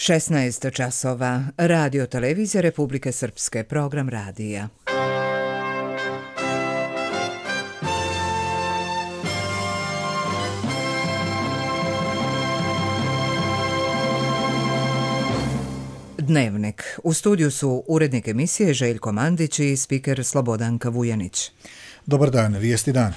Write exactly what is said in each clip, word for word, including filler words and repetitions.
šesnaest časova. Radio televizija Republike Srpske, program radija. Dnevnik. U studiju su urednik emisije Željko Mandić i spiker Slobodanka Vujanić. Dobar dan, vijesti dan.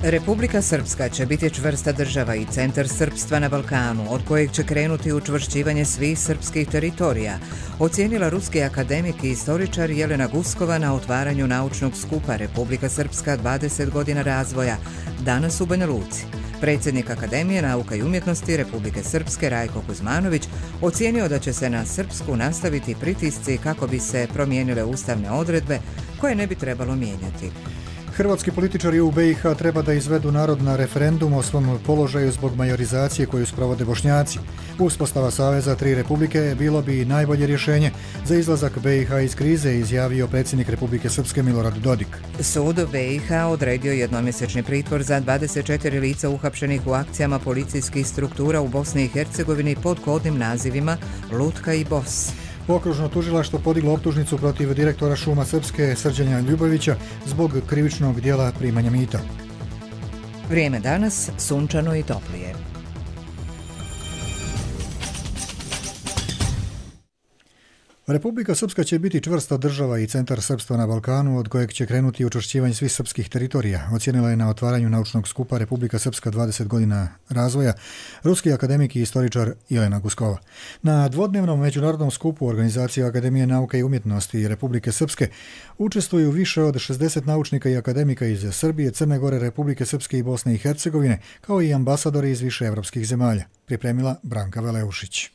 Republika Srpska će biti čvrsta država i centar srpstva na Balkanu, od kojeg će krenuti učvršćivanje svih srpskih teritorija, ocijenila ruski akademik i istoričar Jelena Guskova na otvaranju naučnog skupa Republika Srpska dvadeset godina razvoja, danas u Banja Luci. Predsjednik Akademije nauka i umjetnosti Republike Srpske Rajko Kuzmanović ocijenio da će se na Srpsku nastaviti pritisci kako bi se promijenile ustavne odredbe koje ne bi trebalo mijenjati. Hrvatski političari u be i ha treba da izvedu narod na referendum o svom položaju zbog majorizacije koju sprovode Bošnjaci. Uspostava Saveza tri republike bilo bi najbolje rješenje za izlazak be i ha iz krize, izjavio predsjednik Republike Srpske Milorad Dodik. Sud be i ha odredio jednomjesečni pritvor za dvadeset četiri lica uhapšenih u akcijama policijskih struktura u Bosni i Hercegovini pod kodnim nazivima Lutka i Bos. Okružno tužilaštvo podiglo optužnicu protiv direktora Šuma Srpske Srđana Ljubovića zbog krivičnog djela primanja mita. Vrijeme danas sunčano i toplije. Republika Srpska će biti čvrsta država i centar srpstva na Balkanu, od kojeg će krenuti učvršćivanje svih srpskih teritorija, ocijenila je na otvaranju naučnog skupa Republika Srpska dvadeset godina razvoja ruski akademik i istoričar Jelena Guskova. Na dvodnevnom međunarodnom skupu Organizacije Akademije nauke i umjetnosti Republike Srpske učestvuju više od šezdeset naučnika i akademika iz Srbije, Crne Gore, Republike Srpske i Bosne i Hercegovine, kao i ambasadori iz više evropskih zemalja, pripremila Branka Veleušić.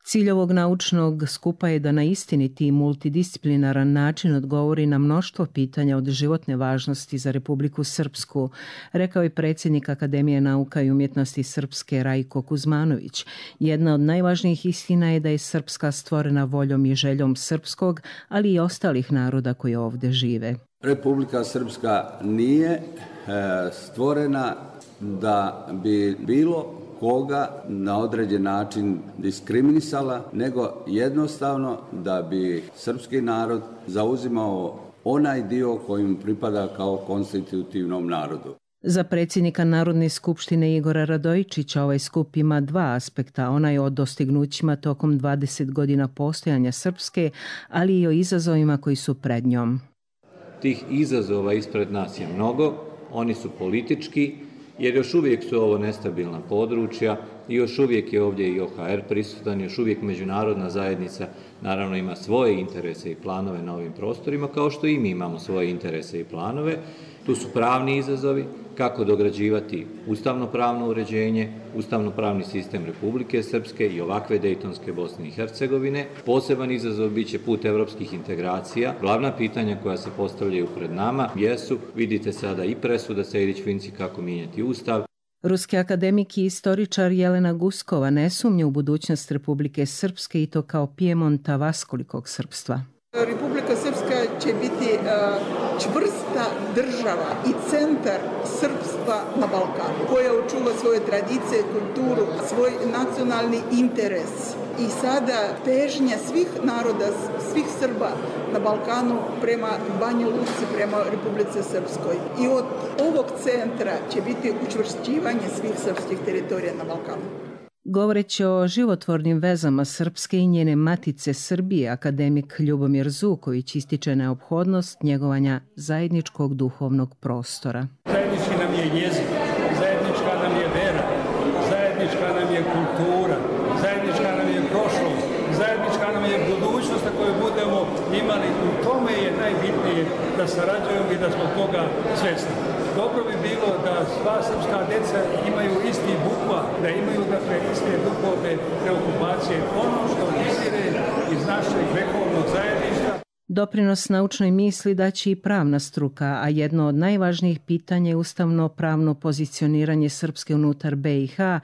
Cilj ovog naučnog skupa je da na istiniti i multidisciplinaran način odgovori na mnoštvo pitanja od životne važnosti za Republiku Srpsku, rekao je predsjednik Akademije nauka i umjetnosti Srpske Rajko Kuzmanović. Jedna od najvažnijih istina je da je Srpska stvorena voljom i željom srpskog, ali i ostalih naroda koji ovdje žive. Republika Srpska nije e, stvorena da bi bilo koga na određen način diskriminisala, nego jednostavno da bi srpski narod zauzimao onaj dio koji mu pripada kao konstitutivnom narodu. Za predsjednika Narodne skupštine Igora Radojičića ovaj skup ima dva aspekta, onaj o dostignućima tokom dvadeset godina postojanja Srpske, ali i o izazovima koji su pred njom. Tih izazova ispred nas je mnogo, oni su politički, jer još uvijek su ovo nestabilna područja i još uvijek je ovdje i o ha er prisutan, još uvijek međunarodna zajednica naravno ima svoje interese i planove na ovim prostorima, kao što i mi imamo svoje interese i planove. Tu su pravni izazovi, kako dograđivati ustavno-pravno uređenje, ustavno-pravni sistem Republike Srpske i ovakve Dejtonske Bosne i Hercegovine. Poseban izazov bit će put evropskih integracija. Glavna pitanja koja se postavljaju pred nama jesu, vidite sada i presuda Sejdić-Finci kako mijenjati ustav. Ruski akademik i istoričar Jelena Guskova ne sumnja u budućnost Republike Srpske i to kao Pijemonta vaskolikog srpstva. Republika Srpska će biti uh, čvrsta država i centar srpstva na Balkanu, koja očuva svoje tradicije, kulturu, svoj nacionalni interes. I sada težnja svih naroda, svih Srba na Balkanu prema Banja Luci, prema Republici Srpskoj. I od ovog centra će biti učvršćivanje svih srpskih teritorija na Balkanu. Govoreći o životvornim vezama Srpske i njene matice Srbije, akademik Ljubomir Zuković ističe neophodnost njegovanja zajedničkog duhovnog prostora. Zajednički nam je jezik, zajednička nam je vera, zajednička nam je kultura, zajednička nam je prošlost, zajednička nam je budućnost koju budemo imali. U tome je najbitnije da sarađujemo i da smo toga svjesni. Dobro bi bilo da sva srpska djeca imaju isti bukva, da imaju dakle iste duhovne preokupacije. Ono što izire iz našeg vekovnog zajedništva. Doprinos naučnoj misli daće i pravna struka, a jedno od najvažnijih pitanja je ustavno pravno pozicioniranje Srpske unutar be i ha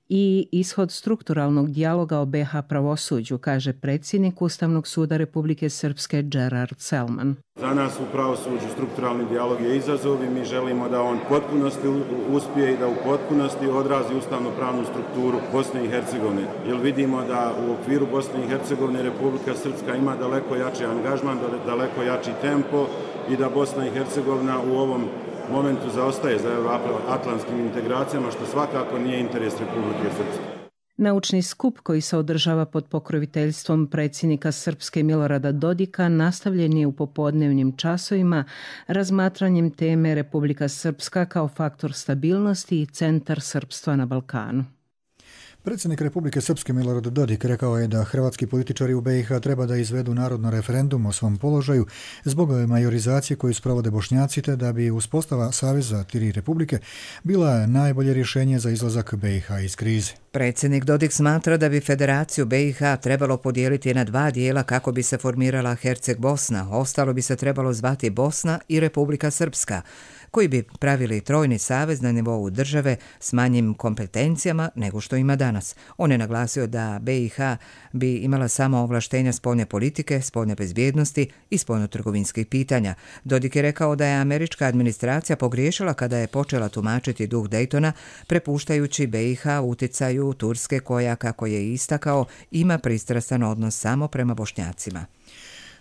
i ishod strukturalnog dijaloga o B iH pravosuđu, kaže predsjednik Ustavnog suda Republike Srpske Gerard Selman. Za nas u pravosuđu strukturalni dijalog je izazov i mi želimo da on u potpunosti uspije i da u potpunosti odrazi ustavno-pravnu strukturu Bosne i Hercegovine. Jer vidimo da u okviru Bosne i Hercegovine Republika Srpska ima daleko jači angažman, daleko jači tempo i da Bosna i Hercegovina u ovom momentu zaostaje za euroatlantskim integracijama, što svakako nije interes Republike Srpske. Naučni skup koji se održava pod pokroviteljstvom predsjednika Srpske Milorada Dodika nastavljen je u popodnevnim časovima razmatranjem teme Republika Srpska kao faktor stabilnosti i centar srpstva na Balkanu. Predsjednik Republike Srpske Milorad Dodik rekao je da hrvatski političari u B iH treba da izvedu narodno referendum o svom položaju zbog majorizacije koju sprovode Bošnjaci, te da bi uspostava Saveza tri republike bila najbolje rješenje za izlazak B iH iz krize. Predsjednik Dodik smatra da bi Federaciju B iH trebalo podijeliti na dva dijela kako bi se formirala Herceg-Bosna, ostalo bi se trebalo zvati Bosna i Republika Srpska, koji bi pravili trojni savez na nivou države s manjim kompetencijama nego što ima danas. On je naglasio da B iH bi imala samo ovlaštenja spoljne politike, spoljne bezbjednosti i spoljnotrgovinskih pitanja. Dodik je rekao da je američka administracija pogriješila kada je počela tumačiti duh Daytona, prepuštajući B iH uticaju Turske koja, kako je istakao, ima pristrastan odnos samo prema Bošnjacima.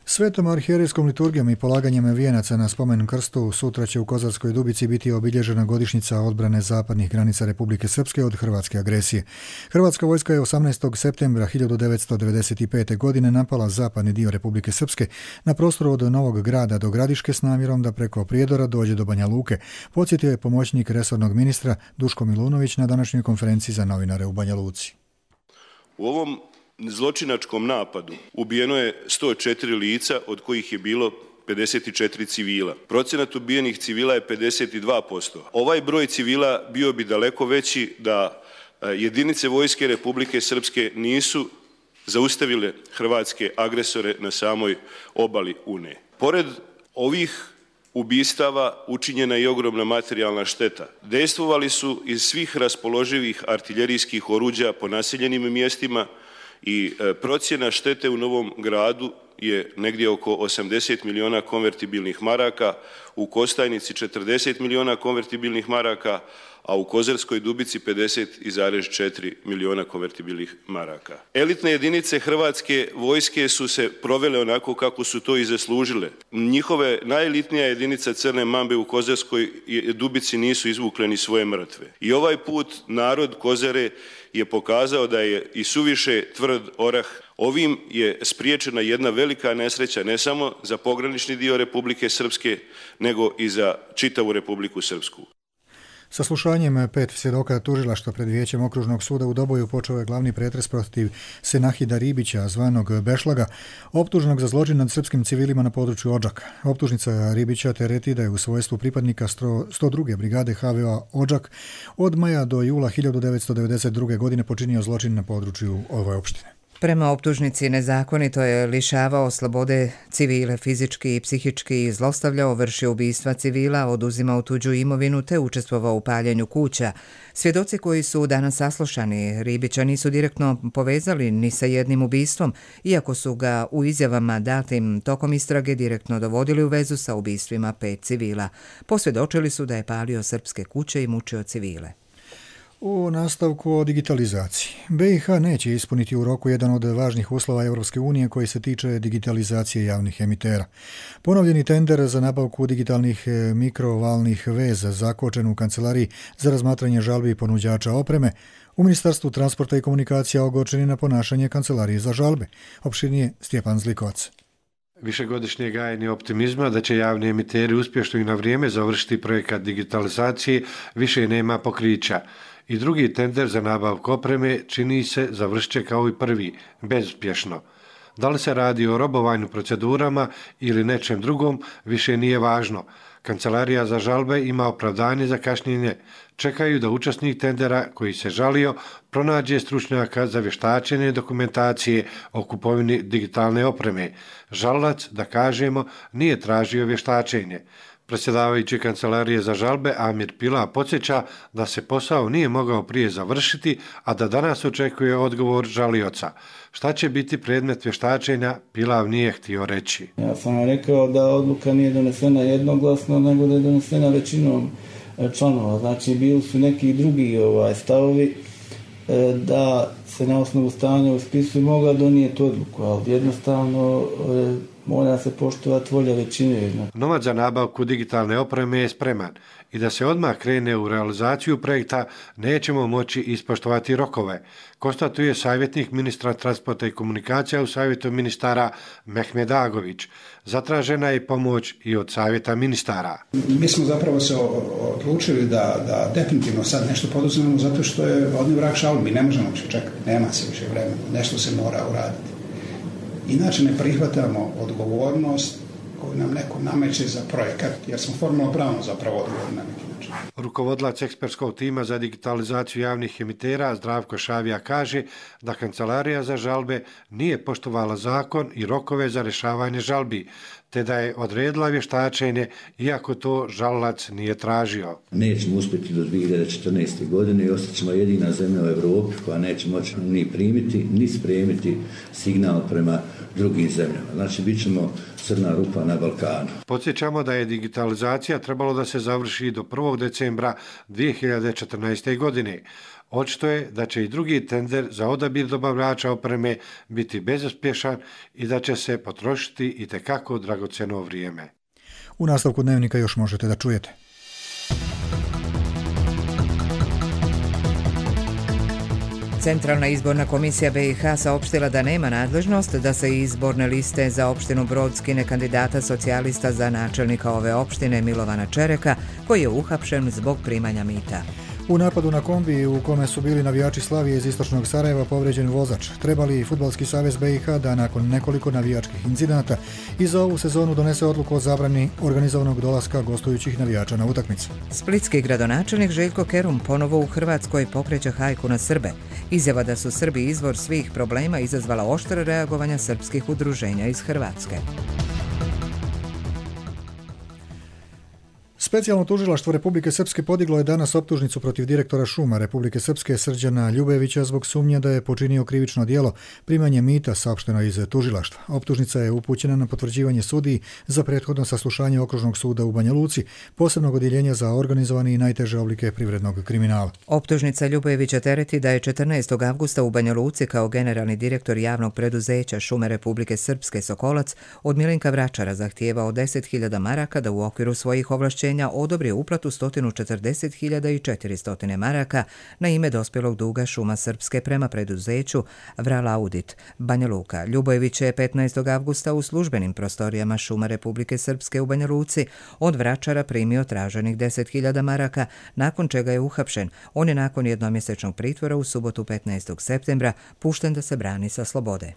Svetom arhijerejskom liturgijom i polaganjem vijenaca na spomen krstu sutra će u Kozarskoj Dubici biti obilježena godišnjica odbrane zapadnih granica Republike Srpske od hrvatske agresije. Hrvatska vojska je osamnaestog septembra hiljadu devetsto devedeset pete. godine napala zapadni dio Republike Srpske na prostoru od Novog Grada do Gradiške s namjerom da preko Prijedora dođe do Banja Luke, podsjetio je pomoćnik resornog ministra Duško Milunović na današnjoj konferenciji za novinare u Banja Luci. U ovom zločinačkom napadu ubijeno je sto četiri lica, od kojih je bilo pedeset četiri civila. Procenat ubijenih civila je pedeset dva posto. Ovaj broj civila bio bi daleko veći da jedinice vojske Republike Srpske nisu zaustavile hrvatske agresore na samoj obali Une. Pored ovih ubistava učinjena je ogromna materijalna šteta. Dejstvovali su iz svih raspoloživih artiljerijskih oruđa po naseljenim mjestima i procjena štete u Novom Gradu je negdje oko osamdeset miliona konvertibilnih maraka, u Kostajnici četrdeset miliona konvertibilnih maraka, a u Kozarskoj Dubici pedeset zarez četiri miliona konvertibilnih maraka. Elitne jedinice hrvatske vojske su se provele onako kako su to i zaslužile. Njihove najelitnija jedinica Crne Mambe u Kozarskoj Dubici nisu izvukle ni svoje mrtve. I ovaj put narod Kozare je pokazao da je i suviše tvrd orah. Ovim je spriječena jedna velika nesreća ne samo za pogranični dio Republike Srpske, nego i za čitavu Republiku Srpsku. Saslušanjem pet svjedoka tužilaštva pred vijećem okružnog suda u Doboju počeo je glavni pretres protiv Senahida Ribića, zvanog Bešlaga, optuženog za zločin nad srpskim civilima na području Odžaka. Optužnica Ribića tereti da je u svojstvu pripadnika sto druge brigade H V O Odžak od maja do jula hiljadu devetsto devedeset druge. godine počinio zločin na području ove opštine. Prema optužnici nezakonito je lišavao slobode civile, fizički i psihički zlostavljao, vršio ubistva civila, oduzimao tuđu imovinu te učestvovao u paljenju kuća. Svjedoci koji su danas saslušani Ribića nisu direktno povezali ni sa jednim ubistvom, iako su ga u izjavama datim tokom istrage direktno dovodili u vezu sa ubistvima pet civila. Posvjedočili su da je palio srpske kuće i mučio civile. U nastavku o digitalizaciji. B iH neće ispuniti u roku jedan od važnih uslova Europske unije koji se tiče digitalizacije javnih emitera. Ponovljeni tender za nabavku digitalnih mikrovalnih veza zakočen u kancelariji za razmatranje žalbi ponuđača opreme, u Ministarstvu transporta i komunikacija ogorčeni na ponašanje kancelarije za žalbe. Opširnije Stjepan Zlikovac. Višegodišnje gajenje optimizma da će javni emiteri uspješno i na vrijeme završiti projekat digitalizacije više nema pokrića. I drugi tender za nabavku opreme čini se završit će kao i prvi, bezuspješno. Da li se radi o robovanju procedurama ili nečem drugom, više nije važno. Kancelarija za žalbe ima opravdanje za kašnjenje. Čekaju da učesnik tendera koji se žalio pronađe stručnjaka za vještačenje dokumentacije o kupovini digitalne opreme. Žalac, da kažemo, nije tražio vještačenje. Predsjedavajući kancelarije za žalbe Amir Pila podsjeća da se posao nije mogao prije završiti, a da danas očekuje odgovor žalioca. Šta će biti predmet vještačenja, Pilav nije htio reći. Ja sam rekao da odluka nije donesena jednoglasno, nego da je donesena većinom članova. Znači, bili su neki drugi ovaj, stavovi da se na osnovu stanja u spisu mogla donijeti odluku, ali jednostavno mora se poštovati volja većine. Novac za nabavku digitalne opreme je spreman i da se odmah krene u realizaciju projekta nećemo moći ispoštovati rokove, konstatuje savjetnik ministra transporta i komunikacija u savjetu ministara Mehmed Agović. Zatražena je pomoć i od savjeta ministara. Mi smo zapravo se odlučili da, da definitivno sad nešto poduzmemo zato što je odni vrag šal, mi ne možemo više čekati, nema se više vremena, nešto se mora uraditi. Inače ne prihvatamo odgovornost koju nam neko nameće za projekat, jer smo formalno pravno zapravo odgovorni na neki način. Rukovodlac ekspertskog tima za digitalizaciju javnih emitera Zdravko Šavija kaže da Kancelarija za žalbe nije poštovala zakon i rokove za rješavanje žalbi, te da je odredila vještačenje, iako to žalalac nije tražio. Nećemo uspjeti do dvije hiljade četrnaeste. godine i ostat ćemo jedina zemlja u Europi koja neće moći ni primiti, ni spremiti signal prema drugim zemljama. Znači, bit ćemo crna rupa na Balkanu. Podsjećamo da je digitalizacija trebalo da se završi do prvog decembra dvije hiljade četrnaeste. godine. Očito je da će i drugi tender za odabir dobavljača opreme biti bezuspješan i da će se potrošiti itekako dragocjeno vrijeme. U nastavku dnevnika još možete da čujete. Centralna izborna komisija B i H saopštila da nema nadležnost da se izborne liste za opštinu Brod skine kandidata socijalista za načelnika ove opštine Milovana Čereka, koji je uhapšen zbog primanja mita. U napadu na kombi u kome su bili navijači Slavije iz istočnog Sarajeva povrijeđen vozač. Treba li Fudbalski savez B i H da nakon nekoliko navijačkih incidenata i za ovu sezonu donese odluku o zabrani organizovanog dolaska gostujućih navijača na utakmicu? Splitski gradonačelnik Željko Kerum ponovo u Hrvatskoj pokreće hajku na Srbe. Izjava da su Srbi izvor svih problema izazvala oštre reagovanja srpskih udruženja iz Hrvatske. Specijalno tužilaštvo Republike Srpske podiglo je danas optužnicu protiv direktora šuma Republike Srpske Srđana Ljubevića zbog sumnje da je počinio krivično djelo primanje mita, saopšteno iz tužilaštva. Optužnica je upućena na potvrđivanje sudiji za prethodno saslušanje Okružnog suda u Banja Luci, posebnog odjeljenja za organizovani i najteže oblike privrednog kriminala. Optužnica Ljubevića tereti da je četrnaestog avgusta u Banja Luci kao generalni direktor javnog preduzeća Šume Republike Srpske Sokolac od Milinka Vračara zahtijevao deset hiljada maraka da u okviru svojih ovlašćenja odobrio uplatu sto četrdeset hiljada četiristo maraka na ime dospjelog duga Šuma Srpske prema preduzeću Vral Audit, Banja Luka. Ljubojević je petnaestog avgusta u službenim prostorijama Šuma Republike Srpske u Banja Luci od Vračara primio traženih deset hiljada maraka, nakon čega je uhapšen. On je nakon jednomjesečnog pritvora u subotu petnaestog septembra pušten da se brani sa slobode.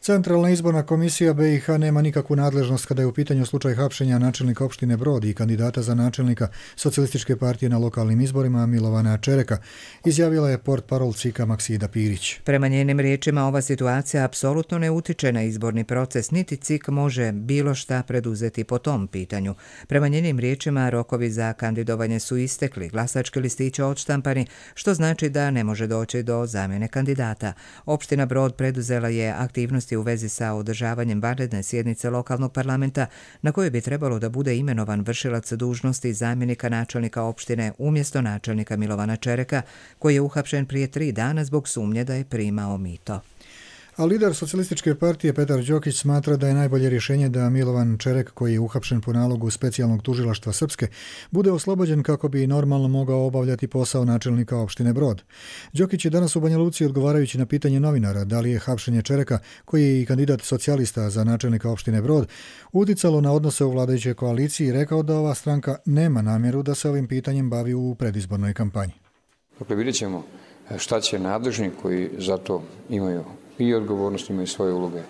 Centralna izborna komisija B i H nema nikakvu nadležnost kada je u pitanju slučaj hapšenja načelnika opštine Brod i kandidata za načelnika Socijalističke partije na lokalnim izborima Milovana Čereka, izjavila je portparol C I K-a Maksida Pirić. Prema njenim riječima ova situacija apsolutno ne utiče na izborni proces, niti C I K može bilo šta preduzeti po tom pitanju. Prema njenim riječima rokovi za kandidovanje su istekli, glasački listići odštampani, što znači da ne može doći do zamjene kandidata. Opština Brod preduzela je aktivnosti u vezi sa održavanjem vanredne sjednice lokalnog parlamenta na kojoj bi trebalo da bude imenovan vršilac dužnosti zamjenika načelnika opštine umjesto načelnika Milovana Čereka, koji je uhapšen prije tri dana zbog sumnje da je primao mito. A lider Socijalističke partije Petar Đokić smatra da je najbolje rješenje da Milovan Čerek, koji je uhapšen po nalogu specijalnog tužilaštva Srpske, bude oslobođen kako bi normalno mogao obavljati posao načelnika opštine Brod. Đokić je danas u Banja Luci odgovarajući na pitanje novinara da li je hapšenje Čereka, koji je i kandidat socijalista za načelnika opštine Brod, uticalo na odnose u vladajućoj koaliciji, rekao da ova stranka nema namjeru da se ovim pitanjem bavi u predizbornoj kampanji. Dakle, vidjet ćemo šta će nadležni koji za to imaju i odgovornost, imaju svoje uloge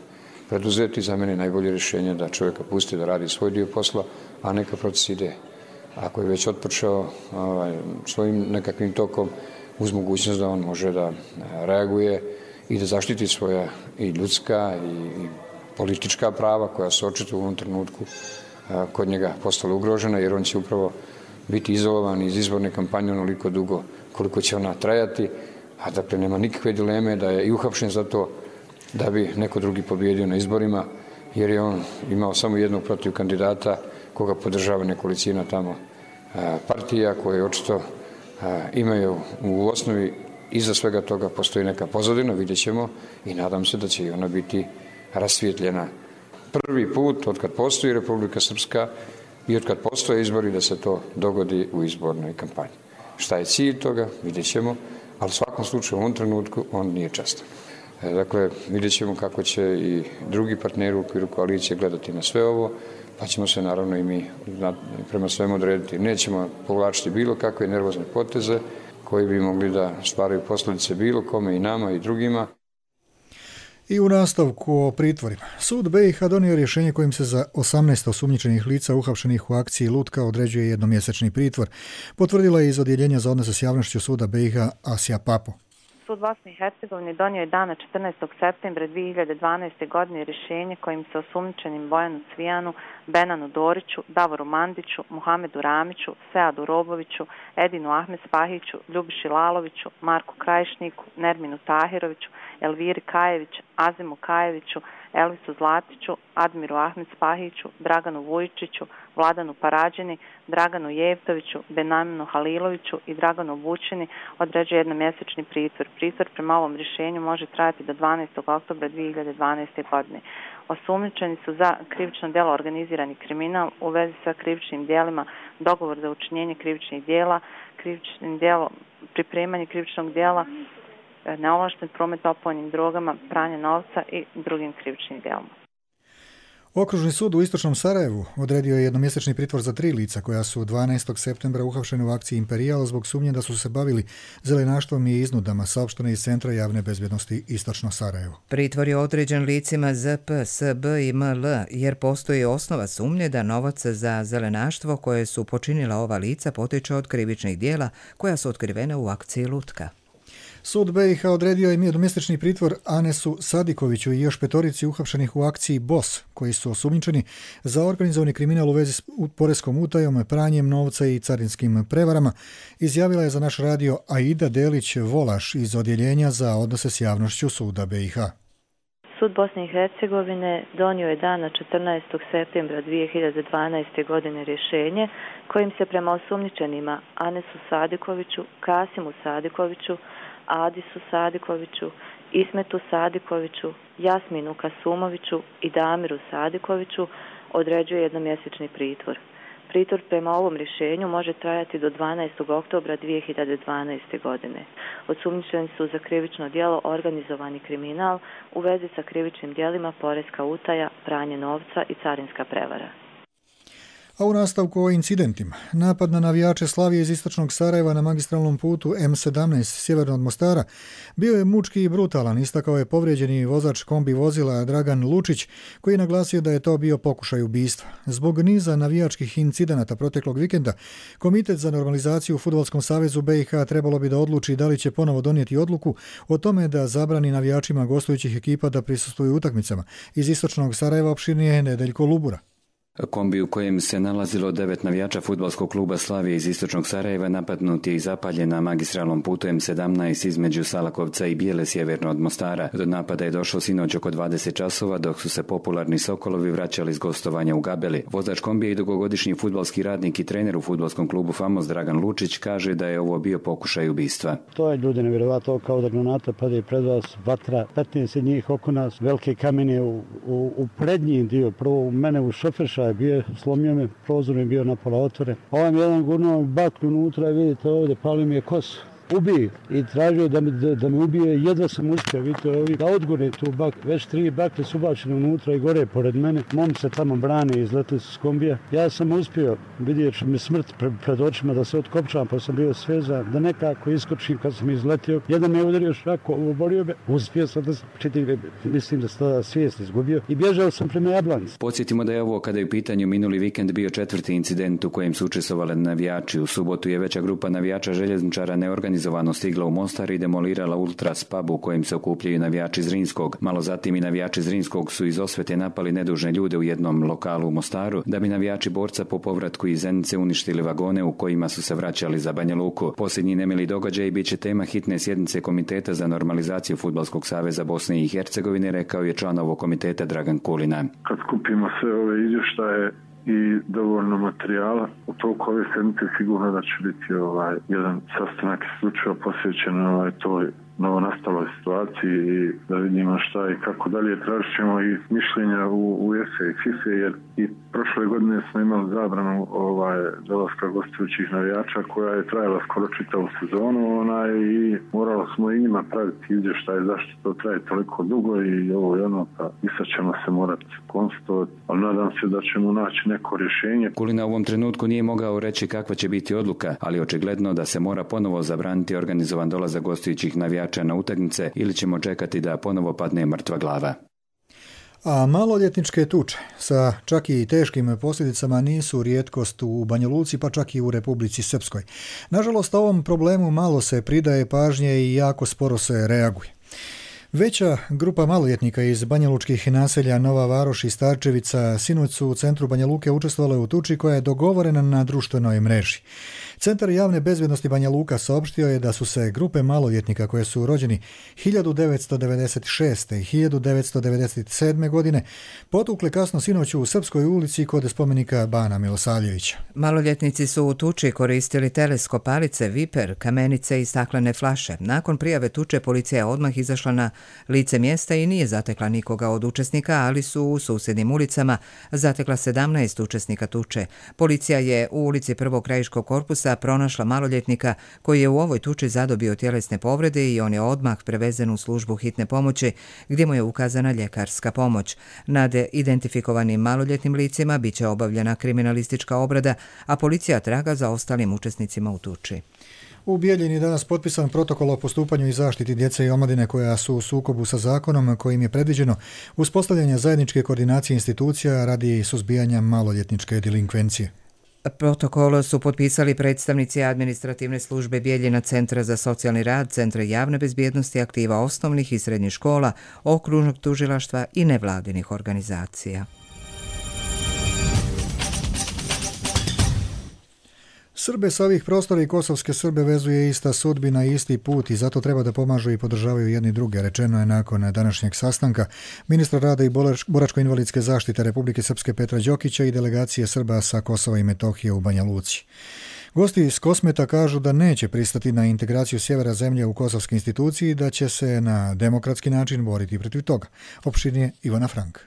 preduzeti. Za mene najbolje rješenje da čovjeka pusti da radi svoj dio posla, a neka proces ide. Ako je već otpočeo ovaj, svojim nekakvim tokom, uz mogućnost da on može da reaguje i da zaštiti svoja i ljudska i, i politička prava koja se očito u ovom trenutku kod njega postala ugrožena, jer on će upravo biti izolovan iz izborne kampanje onoliko dugo koliko će ona trajati, a dakle nema nikakve dileme da je i uhapšen za to da bi neko drugi pobjedio na izborima, jer je on imao samo jednog protiv kandidata koga podržava nekolicina tamo partija koje očito imaju u osnovi iza svega toga postoji neka pozadina, vidjet ćemo i nadam se da će i ona biti rasvijetljena. Prvi put od kad postoji Republika Srpska i od kad postoje izbori da se to dogodi u izbornoj kampanji. Šta je cilj toga, vidjet ćemo, ali u svakom slučaju u ovom trenutku on nije čestan. Dakle, vidjet ćemo kako će i drugi partneri u okviru koalicije gledati na sve ovo, pa ćemo se naravno i mi prema svemu odrediti. Nećemo povlačiti bilo kakve nervozne poteze koji bi mogli da stvaraju posljedice bilo kome i nama i drugima. I u nastavku o pritvorima. Sud B i H donio rješenje kojim se za osamnaest osumnjičenih lica uhapšenih u akciji Lutka određuje jednomjesečni pritvor. Potvrdila je iz Odjeljenja za odnose s javnošću suda B i H Asja Papo. Sud Bosne i Hercegovine donio je dana četrnaestog septembra dvije hiljade dvanaeste. godine rješenje kojim se osumnjičenim Bojanu Cvijanu, Benanu Doriću, Davoru Mandiću, Muhamedu Ramiću, Seadu Roboviću, Edinu Ahmed Spahiću, Ljubiši Laloviću, Marku Krajišniku, Nerminu Tahiroviću, Elviri Kajević, Azimu Kajeviću, Elvisu Zlatiću, Admiru Ahmed Spahiću, Draganu Vujičiću, Vladanu Parađini, Draganu Jevtoviću, Benaminu Haliloviću i Draganu Vučini određuje jednomjesečni pritvor. Pritvor prema ovom rješenju može trajati do dvanaestog oktobra dvije hiljade dvanaeste. godine. Osumnjičeni su za krivično djelo organizirani kriminal u vezi sa krivičnim djelima, dogovor za učinjenje krivičnih djela, krivičnim djelo, pripremanje krivičnog djela, neovlašten promet opojnim drogama, pranje novca i drugim krivičnim djelima. Okružni sud u istočnom Sarajevu odredio je jednomjesečni pritvor za tri lica koja su dvanaestog septembra uhapšeni u akciji Imperijal zbog sumnje da su se bavili zelenaštvom i iznudama, saopšteno iz Centra javne bezbjednosti Istočno Sarajevo. Pritvor je određen licima Z P, S B i M L jer postoji osnova sumnje da novac za zelenaštvo koje su počinila ova lica potiče od krivičnih djela koja su otkrivene u akciji Lutka. Sud B i H odredio je jednomjesečni pritvor Anesu Sadikoviću i još petorici uhapšenih u akciji B O S, koji su osumnjičeni za organizovani kriminal u vezi s poreskom utajom, pranjem novca i carinskim prevarama, izjavila je za naš radio Aida Delić-Volaš iz Odjeljenja za odnose s javnošću suda B i H. Sud Bosne i Hercegovine donio je dana četrnaestog septembra dvije hiljade dvanaeste. godine rješenje kojim se prema osumnjičenima Anesu Sadikoviću, Kasimu Sadikoviću, Adisu Sadikoviću, Ismetu Sadikoviću, Jasminu Kasumoviću i Damiru Sadikoviću određuje jednomjesečni pritvor. Pritvor prema ovom rješenju može trajati do dvanaestog oktobra dvije hiljade dvanaeste. godine. Osumnjičeni su za krivično djelo organizovani kriminal u vezi sa krivičnim djelima poreska utaja, pranje novca i carinska prevara. A u nastavku o incidentima. Napad na navijače Slavije iz istočnog Sarajeva na magistralnom putu M sedamnaest sjeverno od Mostara bio je mučki i brutalan, istakao je povrijeđeni vozač kombi vozila Dragan Lučić, koji je naglasio da je to bio pokušaj ubistva. Zbog niza navijačkih incidenata proteklog vikenda, Komitet za normalizaciju u Fudbalskom savezu B i H trebalo bi da odluči da li će ponovo donijeti odluku o tome da zabrani navijačima gostujućih ekipa da prisustvuju utakmicama. Iz istočnog Sarajeva opširnije Nedeljko Lubura. Kombi u kojem se nalazilo devet navijača fudbalskog kluba Slavije iz istočnog Sarajeva napadnut je i zapaljen na magistralnom putu M sedamnaest između Salakovca i Bijele sjeverno od Mostara. Do napada je došlo sinoć oko dvadeset časova dok su se popularni Sokolovi vraćali s gostovanja u Gabeli. Vozač kombija i dugogodišnji fudbalski radnik i trener u fudbalskom klubu Famos Dragan Lučić kaže da je ovo bio pokušaj ubistva. To je ljudi nevjerovatno, kao da granata pade pred vas, vatra, petnaest njih oko nas, velike kamene u, u, u prednji dio, prvo u mene u šoferša je bio, slomio me, prozor je bio napola otvore. Ovaj mi jedan gurnuo baklju unutra i vidite ovdje, palio mi je kosu. Ubije i tražio da me, da, da me ubije, jedva sam uspio, vidite ovi, da odgore tu bak, već tri bakle su ubačene unutra i gore pored mene. Mom se tamo brane, izletili su s kombija. Ja sam uspio, vidjeti mi smrt pred, pred očima da se otkopčam, pa sam bio svezan, da nekako iskočim kad sam izletio. Jedan me udario šako, oborio me, uspio sam da sam čitim, mislim da sam tada svijest izgubio i bježao sam prema Jablanici. Podsjetimo da je ovo kada je u pitanju minuli vikend bio četvrti incident u kojem su učestvovali navijači. U subotu je veća grupa navijača željezničara neorganizovana organizovano stigla u Mostar i demolirala Ultras pub u kojem se okupljaju navijači Zrinskog. Malo zatim i navijači Zrinskog su iz osvete napali nedužne ljude u jednom lokalu u Mostaru, da bi navijači Borca po povratku iz Zenice uništili vagone u kojima su se vraćali za Banja Luku. Posljednji nemili događaj bit će tema hitne sjednice Komiteta za normalizaciju Fudbalskog saveza Bosne i Hercegovine, rekao je član ovog komiteta Dragan Kulina. Kad skupimo sve ove izvještaje i dovoljno materijala, u toliko ove sedmice sigurno da će biti ovaj, jedan sastanak isključivo posvećen ovaj, toj novonastaloj situaciji i da vidimo šta i kako dalje. Tražit ćemo i mišljenja u UEFA i FIFA, jer i prošle godine smo imali zabranu ovaj, dolaska gostujućih navijača koja je trajala skoro čitavu sezonu onaj, i morali smo i njima praviti izvještaj zašto to traje toliko dugo i ovo je ono, pa i sad ćemo se morati konstatovati, ali nadam se da ćemo naći neko rješenje. Kulina u ovom trenutku nije mogao reći kakva će biti odluka, ali očigledno da se mora ponovo zabraniti organizovan dolazak gostujućih navijača na utakmice ili ćemo čekati da ponovo padne mrtva glava. A maloljetničke tuče sa čak i teškim posljedicama nisu rijetkost u Banja Luci, pa čak i u Republici Srpskoj. Nažalost, ovom problemu malo se pridaje pažnje i jako sporo se reaguje. Veća grupa maloljetnika iz banjalučkih naselja Nova Varoš i Starčevica sinoć su u centru Banja Luke učestvovala u tuči koja je dogovorena na društvenoj mreži. Centar javne bezbjednosti Banja Luka saopštio je da su se grupe maloljetnika koje su rođeni hiljadu devetsto devedeset šeste i hiljadu devetsto devedeset sedme. godine potukle kasno sinoć u Srpskoj ulici kod spomenika Bana Milosavljevića. Maloljetnici su u tuči koristili teleskop, palice, viper, kamenice i staklene flaše. Nakon prijave tuče policija je odmah izašla na lice mjesta i nije zatekla nikoga od učesnika, ali su u susjednim ulicama zatekla sedamnaest učesnika tuče. Policija je u ulici Prvog krajiškog korpusa pronašla maloljetnika koji je u ovoj tuči zadobio tjelesne povrede i on je odmah prevezen u službu hitne pomoći gdje mu je ukazana ljekarska pomoć. Nad identifikovanim maloljetnim licima bit će obavljena kriminalistička obrada, a policija traga za ostalim učesnicima u tuči. U Bijeljini danas potpisan protokol o postupanju i zaštiti djece i omladine koja su u sukobu sa zakonom kojim je predviđeno uspostavljanje zajedničke koordinacije institucija radi suzbijanja maloljetničke delinkvencije. Protokol su potpisali predstavnici administrativne službe Bijeljina, Centra za socijalni rad, Centra javne bezbjednosti, aktiva osnovnih i srednjih škola, okružnog tužilaštva i nevladinih organizacija. Srbe sa ovih prostora i kosovske Srbe vezuje ista sudbina i isti put i zato treba da pomažu i podržavaju jedni druge, rečeno je nakon današnjeg sastanka ministra rada i boračko-invalidske zaštite Republike Srpske Petra Đokića i delegacije Srba sa Kosova i Metohije u Banja Luci. Gosti iz Kosmeta kažu da neće pristati na integraciju sjevera zemlje u kosovske institucije i da će se na demokratski način boriti protiv toga. Opširnije Ivana Frank.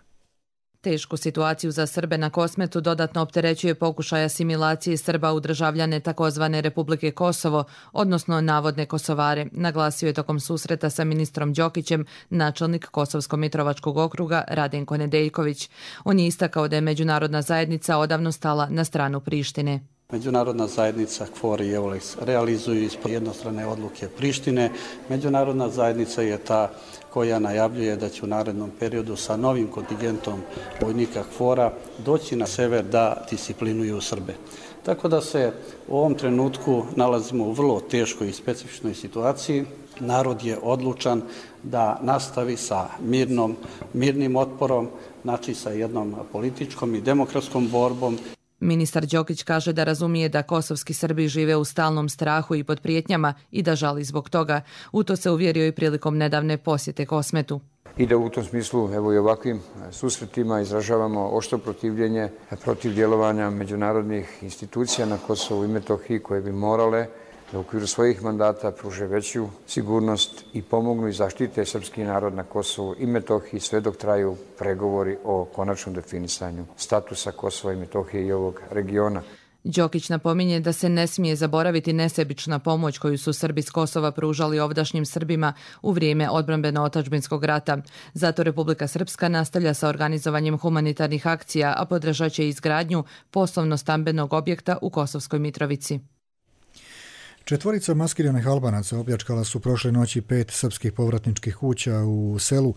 Tešku situaciju za Srbe na Kosmetu dodatno opterećuje pokušaj asimilacije Srba u državljane takozvane Republike Kosovo, odnosno navodne Kosovare, naglasio je tokom susreta sa ministrom Đokićem načelnik Kosovsko-Mitrovačkog okruga Radenko Nedeljković. On je istakao da je međunarodna zajednica odavno stala na stranu Prištine. Međunarodna zajednica KFOR i EULEX realizuju ispod jednostrane odluke Prištine. Međunarodna zajednica je ta koja najavljuje da će u narednom periodu sa novim kontingentom vojnika KFOR-a doći na sever da disciplinuju Srbe. Tako da se u ovom trenutku nalazimo u vrlo teškoj i specifičnoj situaciji. Narod je odlučan da nastavi sa mirnom, mirnim otporom, znači sa jednom političkom i demokratskom borbom. Ministar Đokić kaže da razumije da kosovski Srbi žive u stalnom strahu i pod prijetnjama i da žali zbog toga. U to se uvjerio i prilikom nedavne posjete Kosmetu. I da u tom smislu, evo i ovakvim susretima izražavamo oštro protivljenje protiv djelovanja međunarodnih institucija na Kosovu i Metohiji koje bi morale da u okviru svojih mandata pruže veću sigurnost i pomognu i zaštite srpski narod na Kosovu i Metohiji sve dok traju pregovori o konačnom definisanju statusa Kosova i Metohije i ovog regiona. Đokić napominje da se ne smije zaboraviti nesebična pomoć koju su Srbi s Kosova pružali ovdašnjim Srbima u vrijeme odbrambeno-otadžbinskog rata. Zato Republika Srpska nastavlja sa organizovanjem humanitarnih akcija, a podržat će izgradnju poslovno-stambenog objekta u Kosovskoj Mitrovici. Četvorica maskiranih Albanaca opljačkala su prošle noći pet srpskih povratničkih kuća u selu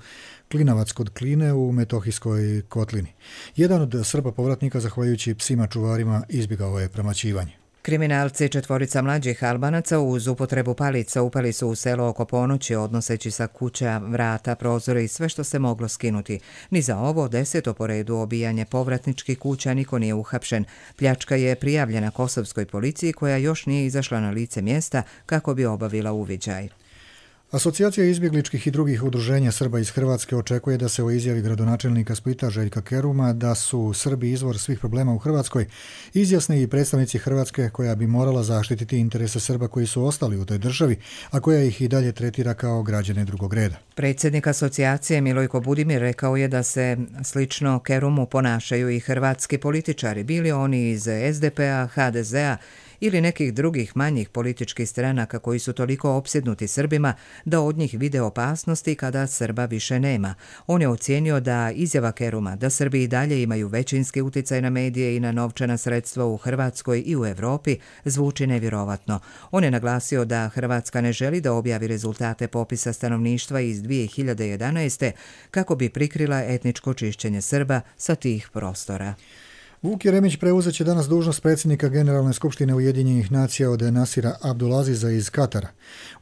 Klinavac kod Kline u Metohijskoj kotlini. Jedan od Srba povratnika, zahvaljujući psima čuvarima, izbjegao je premaćivanje. Kriminalci četvorica mlađih Albanaca uz upotrebu palica upali su u selo oko ponoći odnoseći sa kuća, vrata, prozore i sve što se moglo skinuti. Ni za ovo deseto po redu obijanje povratničkih kuća niko nije uhapšen. Pljačka je prijavljena kosovskoj policiji koja još nije izašla na lice mjesta kako bi obavila uviđaj. Asocijacija izbjegličkih i drugih udruženja Srba iz Hrvatske očekuje da se o izjavi gradonačelnika Splita Željka Keruma da su Srbi izvor svih problema u Hrvatskoj izjasne i predstavnici Hrvatske koja bi morala zaštititi interese Srba koji su ostali u toj državi, a koja ih i dalje tretira kao građane drugog reda. Predsjednik asocijacije Milojko Budimir rekao je da se slično Kerumu ponašaju i hrvatski političari, bili oni iz es de pe a, ha de ze a ili nekih drugih manjih političkih stranaka koji su toliko opsjednuti Srbima da od njih vide opasnosti kada Srba više nema. On je ocijenio da izjava Keruma da Srbi i dalje imaju većinski utjecaj na medije i na novčana sredstva u Hrvatskoj i u Europi zvuči nevjerovatno. On je naglasio da Hrvatska ne želi da objavi rezultate popisa stanovništva iz dvije hiljade jedanaeste kako bi prikrila etničko čišćenje Srba sa tih prostora. Vuk Jeremić preuzet će danas dužnost predsjednika Generalne skupštine Ujedinjenih nacija od Nasira Abdulaziza iz Katara.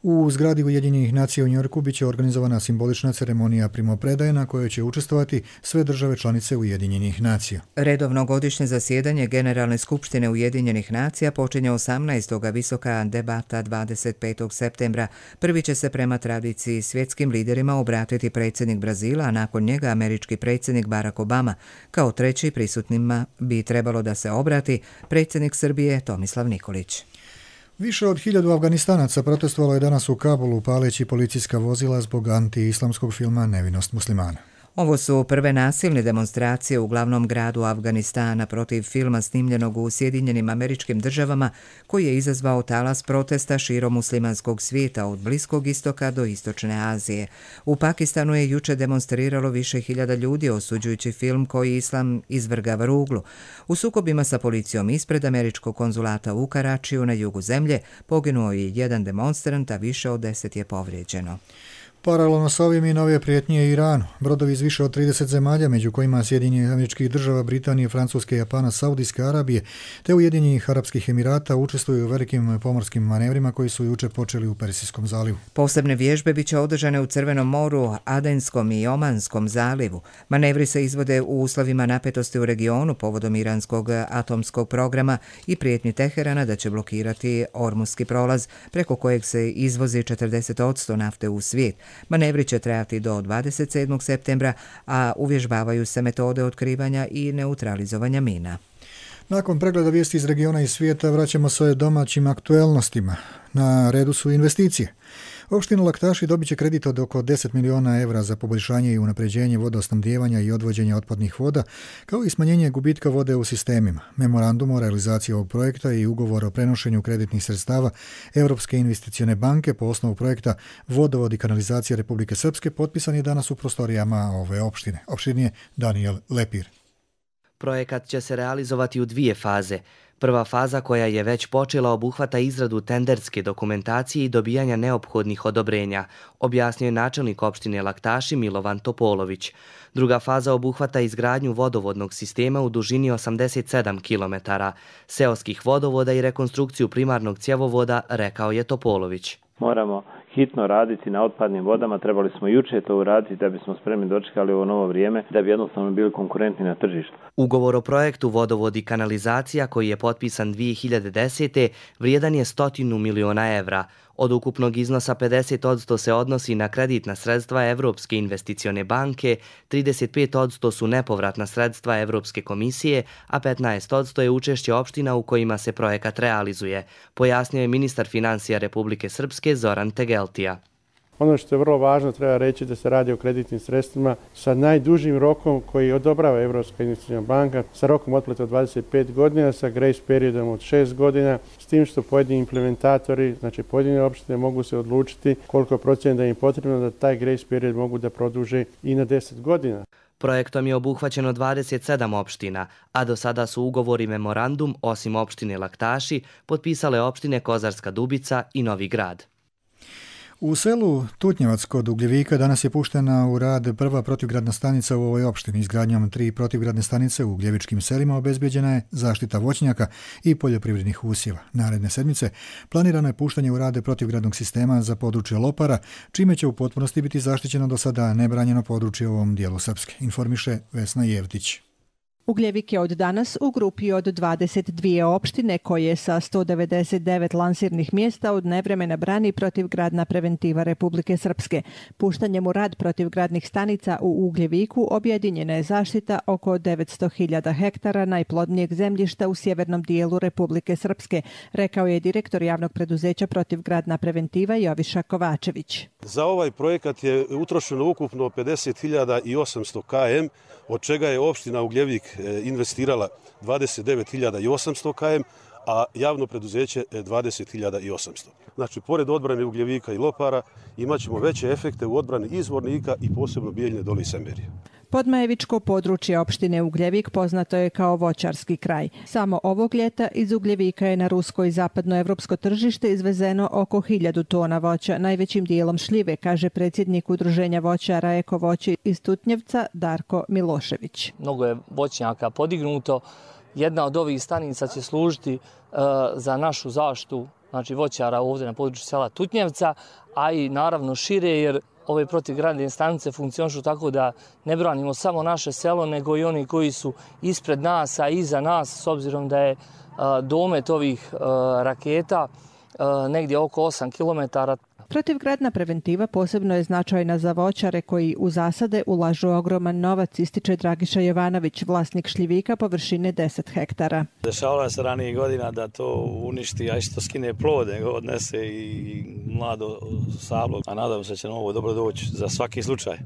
U zgradi Ujedinjenih nacija u Njorku bit će organizovana simbolična ceremonija primopredaje na kojoj će učestvovati sve države članice Ujedinjenih nacija. Redovno godišnje zasjedanje Generalne skupštine Ujedinjenih nacija počinje osamnaestog visoka debata dvadeset petog septembra. Prvi će se prema tradiciji svjetskim liderima obratiti predsjednik Brazila, a nakon njega američki predsjednik Barack Obama. Kao treći prisutnima bi trebalo da se obrati predsjednik Srbije Tomislav Nikolić. Više od hiljadu Afganistanaca protestovalo je danas u Kabulu paleći policijska vozila zbog anti-islamskog filma Nevinost muslimana. Ovo su prve nasilne demonstracije u glavnom gradu Afganistana protiv filma snimljenog u Sjedinjenim Američkim Državama koji je izazvao talas protesta širom muslimanskog svijeta od Bliskog istoka do Istočne Azije. U Pakistanu je juče demonstriralo više hiljada ljudi osuđujući film koji islam izvrgava ruglu. U sukobima sa policijom ispred američkog konzulata u Karačiju na jugu zemlje poginuo je jedan demonstrant, a više od deset je povrijeđeno. Paralelno s ovim i nove prijetnje Iranu. Brodovi iz više od trideset zemalja, među kojima Sjedinjenih Američkih Država, Britanije, Francuske, Japana, Saudijske Arabije te Ujedinjenih Arapskih Emirata učestvuju u velikim pomorskim manevrima koji su juče počeli u Persijskom zalivu. Posebne vježbe biće održane u Crvenom moru, Adenskom i Omanskom zalivu. Manevri se izvode u uslovima napetosti u regionu povodom iranskog atomskog programa i prijetnji Teherana da će blokirati Ormuski prolaz preko kojeg se izvozi četrdeset posto nafte u svijet. Manevri će trajati do dvadeset sedmog septembra, a uvježbavaju se metode otkrivanja i neutralizovanja mina. Nakon pregleda vijesti iz regiona i svijeta vraćamo se domaćim aktuelnostima. Na redu su investicije. Opština Laktaši dobit će kredit od oko deset miliona evra za poboljšanje i unapređenje vodosnabdijevanja i odvođenja otpadnih voda, kao i smanjenje gubitka vode u sistemima. Memorandum o realizaciji ovog projekta i ugovor o prenošenju kreditnih sredstava Europske investicione banke po osnovu projekta Vodovod i kanalizacija Republike Srpske potpisan je danas u prostorijama ove opštine. Opštine je Daniel Lepir. Projekat će se realizovati u dvije faze. Prva faza, koja je već počela, obuhvata izradu tenderske dokumentacije i dobijanja neophodnih odobrenja, objasnio je načelnik opštine Laktaši Milovan Topolović. Druga faza obuhvata izgradnju vodovodnog sistema u dužini osamdeset sedam kilometara, seoskih vodovoda i rekonstrukciju primarnog cjevovoda, rekao je Topolović. Moramo hitno raditi na otpadnim vodama, trebali smo juče to uraditi da bismo spremni dočekali ovo novo vrijeme, da bi jednostavno bili konkurentni na tržištu. Ugovor o projektu Vodovod i kanalizacija, koji je potpisan dvije hiljade desete. vrijedan je stotinu miliona evra. Od ukupnog iznosa pedeset posto se odnosi na kreditna sredstva Evropske investicione banke, trideset pet posto su nepovratna sredstva Evropske komisije, a petnaest posto je učešće opština u kojima se projekat realizuje, pojasnio je ministar financija Republike Srpske Zoran Tegeltija. Ono što je vrlo važno, treba reći da se radi o kreditnim sredstvima sa najdužim rokom koji odobrava Evropska investiciona banka, sa rokom otplate od dvadeset pet godina, sa grace periodom od šest godina, s tim što pojedini implementatori, znači pojedine opštine, mogu se odlučiti koliko procjena da im je potrebno da taj grace period mogu da produže i na deset godina. Projektom je obuhvaćeno dvadeset sedam opština, a do sada su ugovor i memorandum, osim opštine Laktaši, potpisale opštine Kozarska Dubica i Novi Grad. U selu Tutnjevac kod Ugljevika danas je puštena u rad prva protivgradna stanica u ovoj opštini. Izgradnjom tri protivgradne stanice u ugljevičkim selima obezbeđena je zaštita voćnjaka i poljoprivrednih usjeva. Naredne sedmice planirano je puštanje u rade protivgradnog sistema za područje Lopara, čime će u potpunosti biti zaštićeno do sada nebranjeno područje u ovom dijelu Srpske, informiše Vesna Jevtić. Ugljevik je od danas u grupi od dvadeset dvije opštine koje sa sto devedeset devet lansirnih mjesta od nevremena brani protivgradna preventiva Republike Srpske. Puštanjem u rad protivgradnih stanica u Ugljeviku objedinjena je zaštita oko devetsto hiljada hektara najplodnijeg zemljišta u sjevernom dijelu Republike Srpske, rekao je direktor javnog preduzeća protivgradna preventiva Joviša Kovačević. Za ovaj projekat je utrošeno ukupno pedeset hiljada osamsto kilometara, od čega je opština Ugljevik investirala dvadeset devet hiljada osamsto kilometara, a javno preduzeće dvadeset hiljada osamsto. Znači, pored odbrane Ugljevika i Lopara imat ćemo veće efekte u odbrani i Zvornika i posebno Bijeljne dole i Semberije. Podmajevičko područje opštine Ugljevik poznato je kao voćarski kraj. Samo ovog ljeta iz Ugljevika je na rusko i zapadnoevropsko tržište izvezeno oko hiljadu tona voća, najvećim dijelom šljive, kaže predsjednik udruženja voćara Eko voće iz Tutnjevca Darko Milošević. Mnogo je voćnjaka podignuto. Jedna od ovih stanica će služiti uh, za našu zaštitu, znači voćara ovdje na području sela Tutnjevca, a i naravno šire, jer ove protivgradne stanice funkcionišu tako da ne branimo samo naše selo, nego i oni koji su ispred nas, a iza nas, s obzirom da je uh, domet ovih uh, raketa uh, negdje oko osam kilometara. Protivgradna preventiva posebno je značajna za voćare koji u zasade ulažu ogroman novac, ističe Dragiša Jovanović, vlasnik šljivika površine deset hektara. Dešavalo se ranijih godina da to uništi, a što skine plode, odnese i mlado sablo, a nadam se da će ovo dobro doći za svaki slučaj.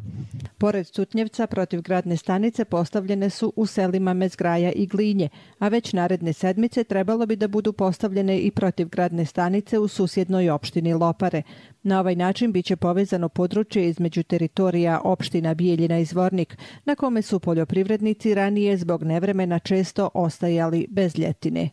Pored Tutnjevca, protivgradne stanice postavljene su u selima Mezgraja i Glinje, a već naredne sedmice trebalo bi da budu postavljene i protivgradne stanice u susjednoj opštini Lopare. Na ovaj način biće povezano područje između teritorija opština Bijeljina i Zvornik, na kome su poljoprivrednici ranije zbog nevremena često ostajali bez ljetine.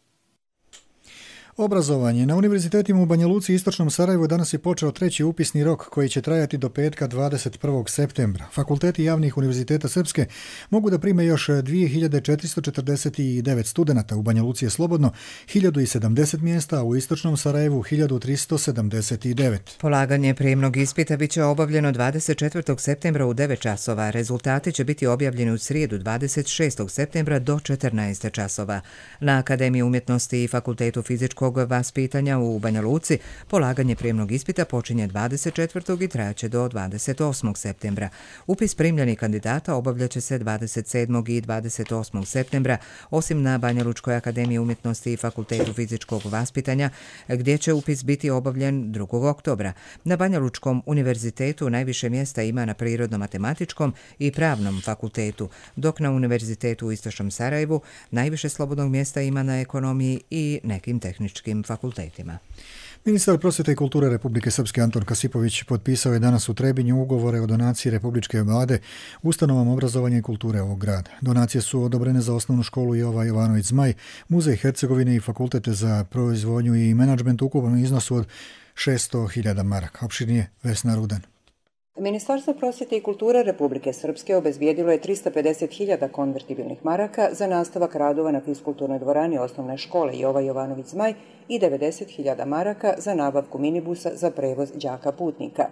Obrazovanje. Na univerzitetima u Banja Luci i Istočnom Sarajevu danas je počeo treći upisni rok koji će trajati do petka dvadeset prvog septembra. Fakulteti javnih univerziteta Srpske mogu da prime još dvije hiljade četiristo četrdeset devet studenata. U Banja Luci je slobodno hiljadu sedamdeset mjesta, a u Istočnom Sarajevu hiljadu tristo sedamdeset devet. Polaganje prijemnog ispita biće obavljeno dvadeset četvrtog septembra u devet časova. Rezultati će biti objavljeni u srijedu dvadeset šestog septembra do četrnaest časova. Na Akademiji umjetnosti i Fakultetu fizičkog vaspitanja u Banja Luci polaganje prijemnog ispita počinje dvadeset četvrtog i trajaće do dvadeset osmog septembra. Upis primljenih kandidata obavljaće se dvadeset sedmog i dvadeset osmog septembra, osim na Banja Lučkoj akademiji umjetnosti i Fakultetu fizičkog vaspitanja, gdje će upis biti obavljen drugog oktobra. Na Banja Lučkom univerzitetu najviše mjesta ima na Prirodno-matematičkom i Pravnom fakultetu, dok na Univerzitetu u Istočnom Sarajevu najviše slobodnog mjesta ima na ekonomiji i nekim tehničkim fakultetima. Ministar prosvjete i kulture Republike Srpske Anton Kasipović potpisao je danas u Trebinju ugovore o donaciji Republičke vlade ustanovama obrazovanja i kulture ovog grada. Donacije su odobrene za osnovnu školu Jova Jovanović Zmaj, Muzej Hercegovine i fakultete za proizvodnju i menadžment u ukupnom iznosu od šesto hiljada maraka. Opširnije Vesna Rudan. Ministarstvo prosvjete i kulture Republike Srpske obezbijedilo je tristo pedeset hiljada konvertibilnih maraka za nastavak radova na fiskulturnoj dvorani osnovne škole Jova Jovanović Zmaj i devedeset hiljada maraka za nabavku minibusa za prevoz đaka putnika.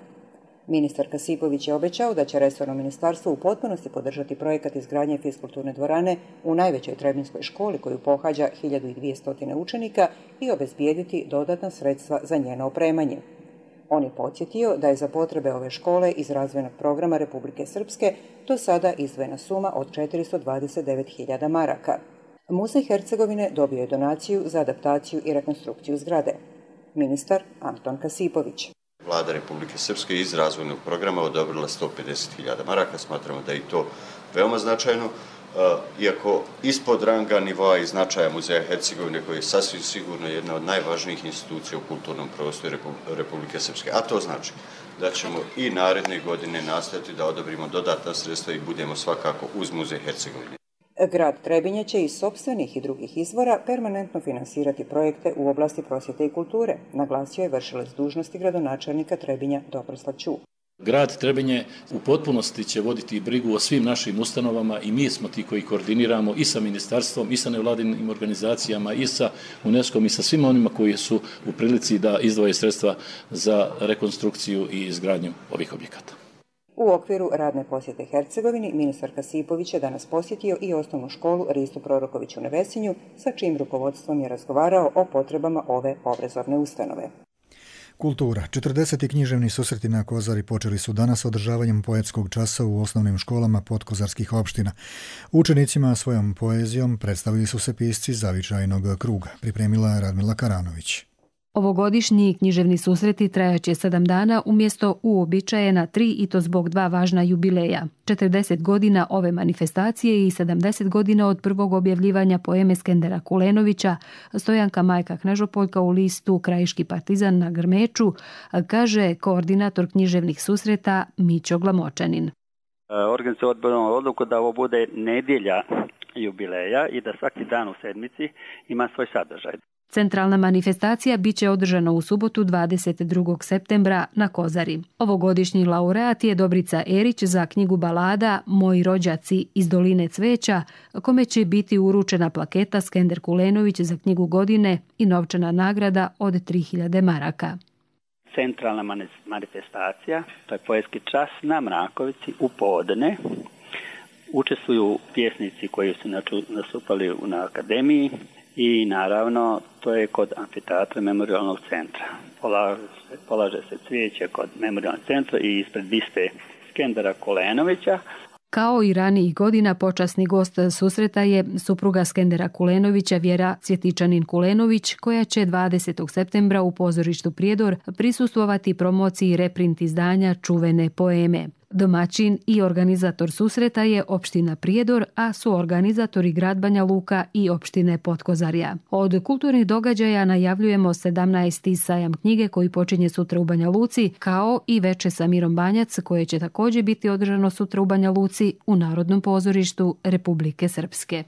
Ministar Kasipović je obećao da će resorno ministarstvo u potpunosti podržati projekat izgradnje fiskulturne dvorane u najvećoj trebinskoj školi koju pohađa hiljadu dvjesto učenika i obezbijediti dodatna sredstva za njeno opremanje. On je podsjetio da je za potrebe ove škole iz razvojnog programa Republike Srpske do sada izdvojena suma od četiristo dvadeset devet hiljada maraka. Muzej Hercegovine dobio je donaciju za adaptaciju i rekonstrukciju zgrade. Ministar Anton Kasipović. Vlada Republike Srpske iz razvojnog programa odobrila sto pedeset hiljada maraka. Smatramo da je i to veoma značajno. Iako ispod ranga nivoa i značaja Muzeja Hercegovine, koji je sasvim sigurno jedna od najvažnijih institucija u kulturnom prostoru Republike Srpske. A to znači da ćemo i naredne godine nastaviti da odobrimo dodatna sredstva i budemo svakako uz Muzej Hercegovine. Grad Trebinje će iz sopstvenih i drugih izvora permanentno finansirati projekte u oblasti prosvjete i kulture, naglasio je vršilac dužnosti gradonačelnika Trebinja Dobroslav Ću. Grad Trebinje u potpunosti će voditi brigu o svim našim ustanovama i mi smo ti koji koordiniramo i sa ministarstvom, i sa nevladinim organizacijama, i sa UNESCO-om i sa svima onima koji su u prilici da izdvoje sredstva za rekonstrukciju i izgradnju ovih objekata. U okviru radne posjete Hercegovini, ministar Kasipović je danas posjetio i osnovnu školu Risto Proroković u Nevesinju, sa čijim rukovodstvom je razgovarao o potrebama ove obrazovne ustanove. Kultura. četrdeseti književni susreti na Kozari počeli su danas održavanjem poetskog časa u osnovnim školama podkozarskih opština. Učenicima svojom poezijom predstavili su se pisci zavičajnog kruga, pripremila Radmila Karanović. Ovogodišnji književni susreti trajaće sedam dana umjesto uobičajena tri i to zbog dva važna jubileja. četrdeset godina ove manifestacije i sedamdeset godina od prvog objavljivanja poeme Skendera Kulenovića, Stojanka Majka Knežopoljka u listu Krajiški partizan na Grmeču, kaže koordinator književnih susreta Mićo Glamočanin. Organizacija odbila odluku da ovo bude nedjelja jubileja i da svaki dan u sedmici ima svoj sadržaj. Centralna manifestacija bit će održana u subotu dvadeset drugog septembra na Kozari. Ovogodišnji laureat je Dobrica Erić za knjigu balada Moji rođaci iz Doline cveća, kome će biti uručena plaketa Skender Kulenović za knjigu godine i novčana nagrada od tri hiljade maraka. Centralna manifestacija, to je poetski čas na Mrakovici u podne. Učestvuju pjesnici koji su nastupali na akademiji, i naravno to je kod amfiteatra Memorijalnog centra. Polaže se, polaže se cvijeće kod Memorijalnog centra i ispred biste Skendera Kulenovića. Kao i ranijih godina, počasni gost susreta je supruga Skendera Kulenovića Vjera Cvjetičanin Kulenović, koja će dvadesetog septembra u pozorištu Prijedor prisustvovati promociji reprint izdanja čuvene poeme. Domaćin i organizator susreta je opština Prijedor, a suorganizatori grad Banja Luka i opštine Potkozarja. Od kulturnih događaja najavljujemo sedamnaesti sajam knjige koji počinje sutra u Banja Luci, kao i veče sa Mirom Banjac koje će također biti održano sutra u Banja Luci u Narodnom pozorištu Republike Srpske.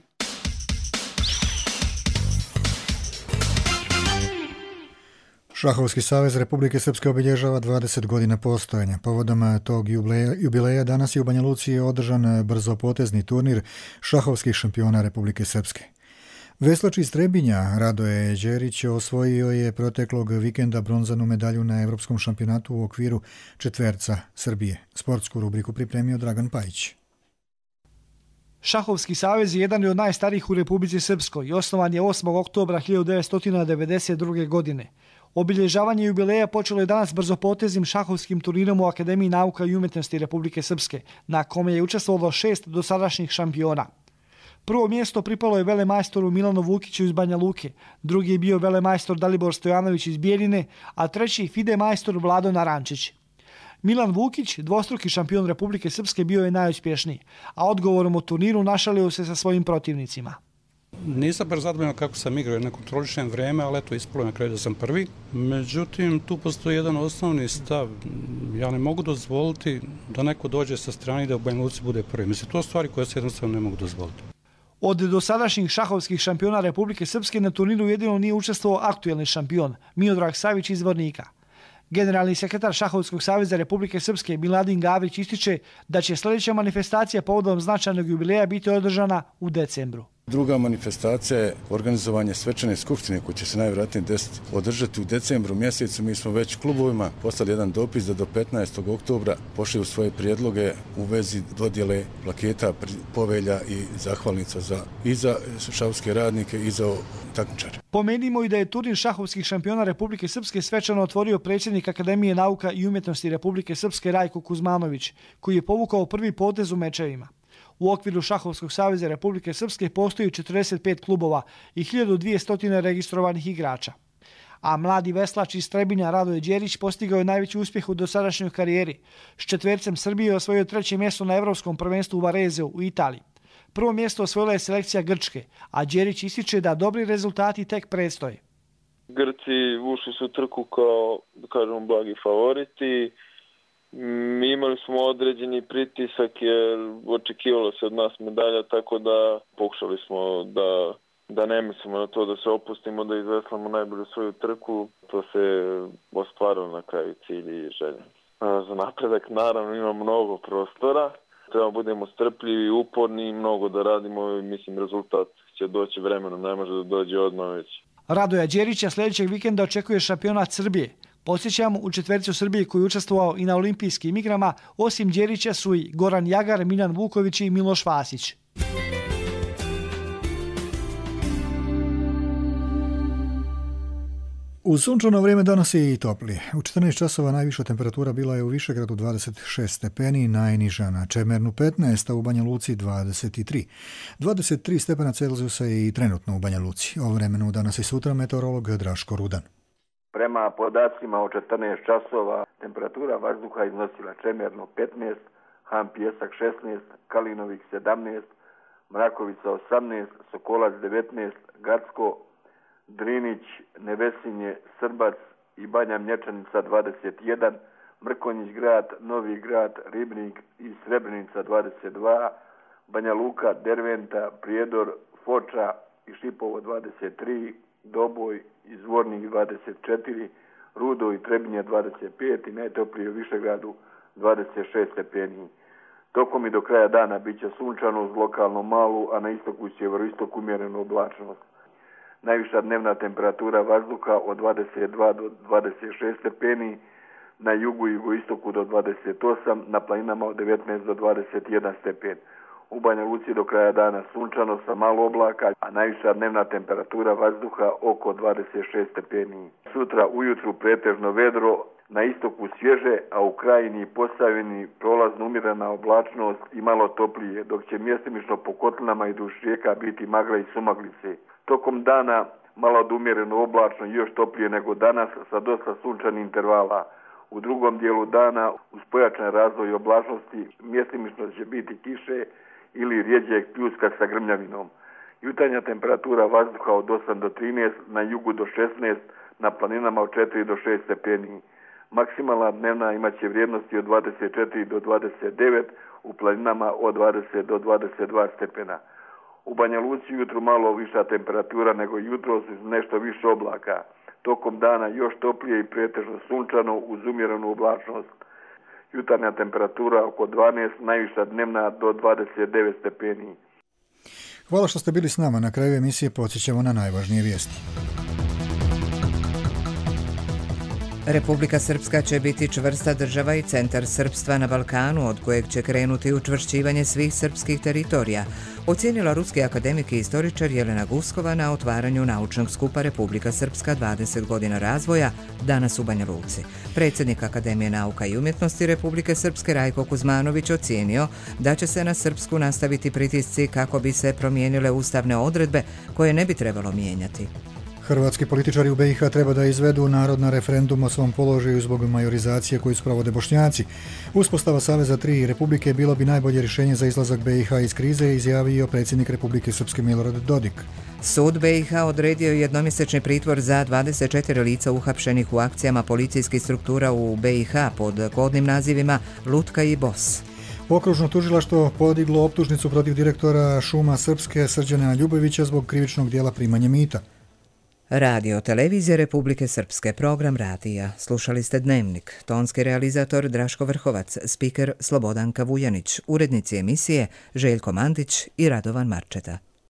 Šahovski savez Republike Srpske obilježava dvadeset godina postojanja. Povodom tog jubileja, jubileja danas je u Banja Luci održan brzopotezni turnir šahovskih šampiona Republike Srpske. Veslač iz Trebinja Radoje Đerić osvojio je proteklog vikenda bronzanu medalju na Evropskom šampionatu u okviru četverca Srbije. Sportsku rubriku pripremio Dragan Pajić. Šahovski savez je jedan od najstarijih u Republici Srpskoj i osnovan je osmog oktobra hiljadu devetsto devedeset druge. godine. Obilježavanje jubileja počelo je danas brzopoteznim šahovskim turnirom u Akademiji nauka i umjetnosti Republike Srpske, na kome je učestvovalo šest dosadašnjih šampiona. Prvo mjesto pripalo je velemajstoru Milanu Vukiću iz Banja Luke, drugi je bio velemajstor Dalibor Stojanović iz Bijeljine, a treći fide majstor Vlado Narančić. Milan Vukić, dvostruki šampion Republike Srpske, bio je najuspješniji, a odgovorom u turniru našalio se sa svojim protivnicima. Nisam baš zadovoljan kako sam igrao, ne kontrolišem vreme, ali eto, ispalo na kraju da sam prvi. Međutim, tu postoji jedan osnovni stav. Ja ne mogu dozvoliti da neko dođe sa strane i da u Banja Luci bude prvi. Mislim, to stvari koje se jednostavno ne mogu dozvoliti. Od dosadašnjih šahovskih šampiona Republike Srpske na turniru jedino nije učestvovao aktuelni šampion, Miodrag Savić iz Vornika. Generalni sekretar Šahovskog saveza Republike Srpske Miladin Gavrić ističe da će sljedeća manifestacija povodom značajnog jubileja biti održana u decembru. Druga manifestacija je organizovanje svečane skupštine koja će se najvjerojatnije desiti održati u decembru mjesecu. Mi smo već klubovima poslali jedan dopis da do petnaestog oktobra pošalju svoje prijedloge u vezi dodjele plaketa, povelja i zahvalnica za, i za šahovske radnike i za takmičare. Pomenimo i da je turnir šahovskih šampiona Republike Srpske svečano otvorio predsjednik Akademije nauka i umjetnosti Republike Srpske Rajko Kuzmanović, koji je povukao prvi potez u mečevima. U okviru Šahovskog saveza Republike Srpske postoji četrdeset pet klubova i hiljadu dvjesto registrovanih igrača. A mladi veslač iz Trebinja Radoje Đerić postigao je najveći uspjeh u dosadašnjoj karijeri. S četvercem Srbije je osvojio treće mjesto na Evropskom prvenstvu u Varezeu u Italiji. Prvo mjesto osvojila je selekcija Grčke, a Đerić ističe da dobri rezultati tek predstoje. Grci ušli su trku kao, da kažemo, blagi favoriti. Mi imali smo određeni pritisak jer očekivalo se od nas medalja, tako da pokušali smo da, da ne mislimo na to da se opustimo, da izveslamo najbolju svoju trku. To se ostvarilo na kraju cilj i želje. Za napredak naravno ima mnogo prostora. Treba budemo strpljivi i uporni i mnogo da radimo i mislim rezultat će doći vremenom, ne može da dođe odmah već. Radoja Đerića sljedećeg vikenda očekuje šampionat Srbije. Podsjećamo, u četverci u Srbiji koji je učestvovao i na olimpijskim igrama, osim Đerića su i Goran Jagar, Miljan Vuković i Miloš Vasić. Uz sunčano vrijeme danas je i toplije. U četrnaest časova najviša temperatura bila je u Višegradu dvadeset šest stepeni, najniža na Čemernu petnaest, a u Banja Luci dvadeset tri. dvadeset tri stepena Celzijusa je i trenutno u Banja Luci. O vremenu danas i sutra meteorolog Draško Rudan. Prema podacima o četrnaest časova temperatura vazduha iznosila Čemerno petnaest, Han Pijesak šesnaest, Kalinovik sedamnaest, Mrakovica osamnaest, Sokolac devetnaest, Gacko, Drinić, Nevesinje, Srbac i Banja Mlječanica dvadeset jedan, Mrkonjić grad, Novi grad, Ribnik i Srebrenica dvadeset dva, Banja Luka, Derventa, Prijedor, Foča i Šipovo dvadeset tri, Doboj i Zvornik dvadeset četiri, Rudo i Trebinje dvadeset pet i najtoplije u Višegradu dvadeset šest stepeni. Tokom i do kraja dana bit će sunčano uz lokalno malu, a na istoku i sjeveroistoku umjerenu oblačnost. Najviša dnevna temperatura vazduha od dvadeset dva do dvadeset šest stepeni, na jugu i jugoistoku do dvadeset osam, na planinama od devetnaest do dvadeset jedan stepen. U Banja Luci do kraja dana sunčano sa malo oblaka, a najviša dnevna temperatura vazduha oko dvadeset šest stepeni. Sutra ujutru pretežno vedro, na istoku svježe, a u krajini i Posavini prolazno umjerena oblačnost i malo toplije, dok će mjestimično po kotlinama i duž rijeka biti magla i sumaglice. Tokom dana malo odumjereno oblačno i još toplije nego danas sa dosta sunčanih intervala. U drugom dijelu dana uz pojačan razvoj oblačnosti mjestimično će biti kiše ili rjeđeg pljuska sa grmljavinom. Jutarnja temperatura vazduha od osam do trinaest, na jugu do šesnaest, na planinama od četiri do šest stepeni. Maksimalna dnevna imaće vrijednosti od dvadeset četiri do dvadeset devet, u planinama od dvadeset do dvadeset dva stepena. U Banja Luci jutro malo viša temperatura nego jutros uz nešto više oblaka. Tokom dana još toplije i pretežno sunčano uz umjerenu oblačnost. Jutarnja temperatura oko dvanaest, najviša dnevna do dvadeset devet stepeni. Hvala što ste bili s nama. Na kraju emisije podsjećamo na najvažnije vijesti. Republika Srpska će biti čvrsta država i centar srpstva na Balkanu, od kojeg će krenuti učvršćivanje svih srpskih teritorija, ocijenila ruski akademik i istoričar Jelena Guskova na otvaranju naučnog skupa Republika Srpska dvadeset godina razvoja danas u Banja Luci. Predsjednik Akademije nauka i umjetnosti Republike Srpske Rajko Kuzmanović ocijenio da će se na Srpsku nastaviti pritisci kako bi se promijenile ustavne odredbe koje ne bi trebalo mijenjati. Hrvatski političari u B i H treba da izvedu narod na referendum o svom položaju zbog majorizacije koju sprovode Bošnjaci. Uspostava Saveza tri Republike bilo bi najbolje rješenje za izlazak B i H iz krize, izjavio predsjednik Republike Srpske Milorad Dodik. Sud B i H odredio jednomjesečni pritvor za dvadeset četiri lica uhapšenih u akcijama policijskih struktura u B i H pod kodnim nazivima Lutka i Bos. Okružno tužilaštvo podiglo optužnicu protiv direktora Šuma Srpske Srđana Ljubovića zbog krivičnog dijela primanja mita. Radio Televizije Republike Srpske, program radija. Slušali ste Dnevnik. Tonski realizator Draško Vrhovac, spiker Slobodanka Vujanić, urednici emisije Željko Mandić i Radovan Marčeta.